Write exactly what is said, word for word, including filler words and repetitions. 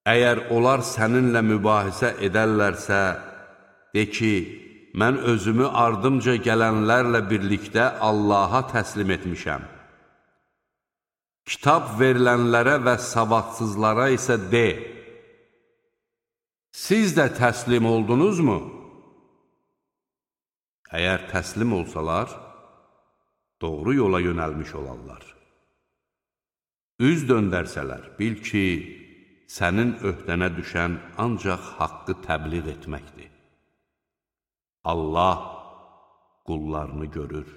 Əgər onlar səninlə mübahisə edərlərsə, de ki, mən özümü ardımca gələnlərlə birlikdə Allaha təslim etmişəm. Kitab verilənlərə və savadsızlara isə de, siz də təslim oldunuzmu? Əgər təslim olsalar, doğru yola yönəlmiş olarlar. Üz döndərsələr, bil ki, sənin öhdənə düşən ancaq haqqı təbliğ etməkdir. Allah qullarını görür.